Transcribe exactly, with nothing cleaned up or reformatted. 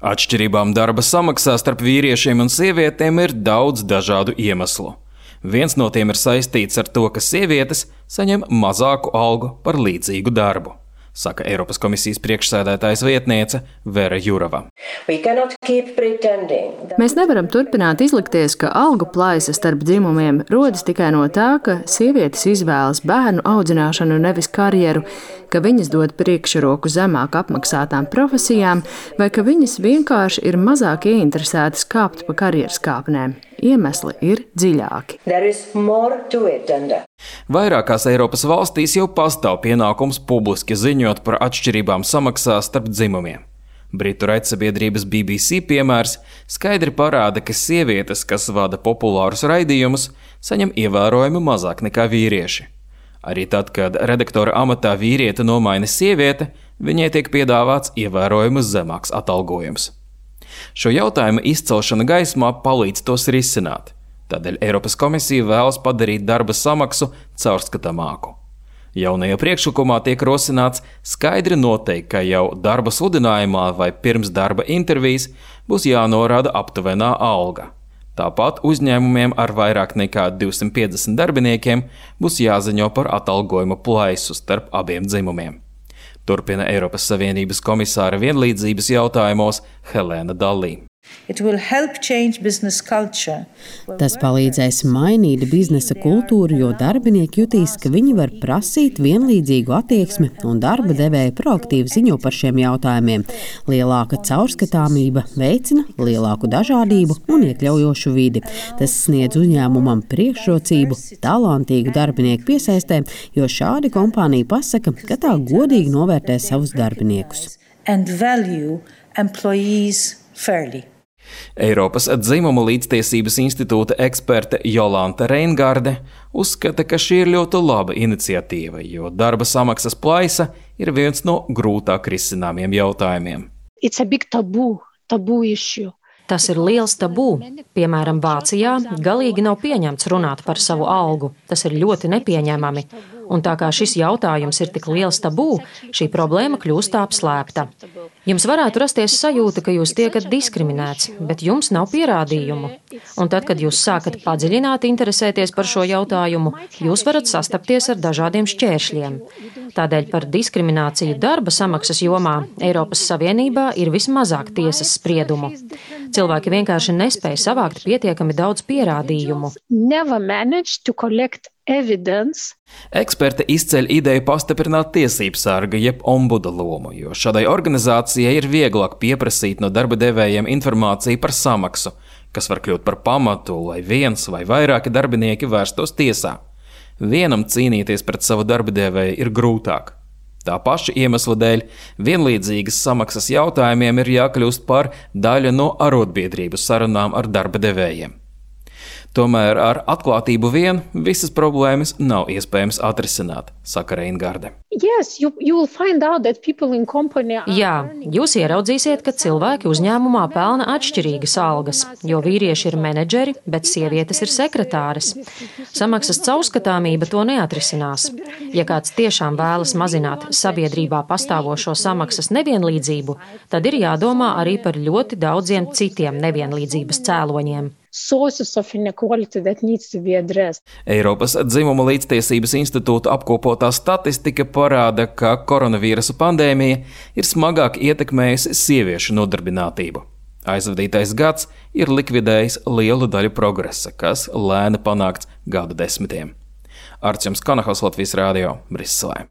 Atšķirībām darba samaksā starp vīriešiem un sievietēm ir daudz dažādu iemeslu. Viens no tiem ir saistīts ar to, ka sievietes saņem mazāku algu par līdzīgu darbu, saka Eiropas komisijas priekšsēdētājas vietniece Vera Jurova. Mēs nevaram turpināt izlikties, ka algu plaisa starp dzimumiem rodas tikai no tā, ka sievietes izvēlas bērnu audzināšanu nevis karjeru, ka viņas dod priekšroku zemāk apmaksātām profesijām vai ka viņas vienkārši ir mazāk ieinteresētas kāpt pa karjeras kāpnēm. Iemesli ir dziļāki. Vairākās Eiropas valstīs jau pastāv pienākums publiski ziņot par atšķirībām samaksā starp dzimumiem. Britu raidsabiedrības B B C piemērs skaidri parāda, ka sievietes, kas vada populārus raidījumus, saņem ievērojami mazāk nekā vīrieši. Arī tad, kad redaktora amatā vīriete nomaina sieviete, viņai tiek piedāvāts ievērojami zemāks atalgojums. Šo jautājumu izcelšana gaismā palīdz tos risināt. Tādēļ Eiropas komisija vēlas padarīt darba samaksu caurskatāmāku. Jaunajā priekšlikumā tiek rosināts skaidri noteikt, ka jau darba sludinājumā vai pirms darba intervijas būs jānorāda aptuvenā alga. Tāpat uzņēmumiem ar vairāk nekā divsimt piecdesmit darbiniekiem būs jāziņo par atalgojuma plaisu starp abiem dzimumiem. Turpina Eiropas Savienības komisāra vienlīdzības jautājumos Helēna Dallī. Tas palīdzēs mainīt biznesa kultūru, jo darbinieki jutīs, ka viņi var prasīt vienlīdzīgu attieksmi un darba devēja proaktīvi ziņo par šiem jautājumiem. Lielāka caurskatāmība veicina lielāku dažādību un iekļaujošu vidi. Tas sniedz uzņēmumam priekšrocību talantīgu darbinieku piesaistē, jo šādi kompānija pasaka, ka tā godīgi novērtē savus darbiniekus. Eiropas dzimumu līdztiesības institūta eksperte Jolanta Reingarde uzskata, ka šī ir ļoti laba iniciatīva, jo darba samaksas plaisa ir viens no grūtāk risināmiem jautājumiem. Tabu, tabu Tas ir liels tabū. Piemēram, Vācijā galīgi nav pieņemts runāt par savu algu. Tas ir ļoti nepieņemami. Un tā kā šis jautājums ir tik liels tabū, šī problēma kļūst apslēpta. Jums varētu rasties sajūta, ka jūs tiekat diskriminēts, bet jums nav pierādījumu. Un tad, kad jūs sākat padziļināt interesēties par šo jautājumu, jūs varat sastapties ar dažādiem šķēršļiem. Tādēļ par diskrimināciju darba samaksas jomā Eiropas Savienībā ir vismazāk tiesas spriedumu. Cilvēki vienkārši nespēja savākt pietiekami daudz pierādījumu. Eksperte izceļ ideju pastiprināt tiesību sarga jeb ombuda lomu, jo šādai organizācijai ir vieglāk pieprasīt no darba devējiem informāciju par samaksu, kas var kļūt par pamatu, lai viens vai vairāki darbinieki vērstos tiesā. Vienam cīnīties pret savu darba devēju ir grūtāk. Tā paša iemesla dēļ vienlīdzīgas samaksas jautājumiem ir jākļūst par daļu no arotbiedrību sarunām ar darba devējiem. Tomēr ar atklātību vien visas problēmas nav iespējams atrisināt, saka Reingarde. Yes, you, you are... Jā, jūs ieraudzīsiet, ka cilvēki uzņēmumā pelna atšķirīgas algas, jo vīrieši ir menedžeri, bet sievietes ir sekretāres. Samaksas caurskatāmība to neatrisinās. Ja kāds tiešām vēlas mazināt sabiedrībā pastāvošo samaksas nevienlīdzību, tad ir jādomā arī par ļoti daudziem citiem nevienlīdzības cēloņiem. Eiropas dzimumu līdztiesības institūta apkopotā statistika parāda, ka koronavīrusa pandēmija ir smagāk ietekmējusi sieviešu nodarbinātību. Aizvadītais gads ir likvidējis lielu daļu progresa, kas lēni panākts gadu desmitiem. Arčuns Kanahos, Latvijas Rādio, Briselē.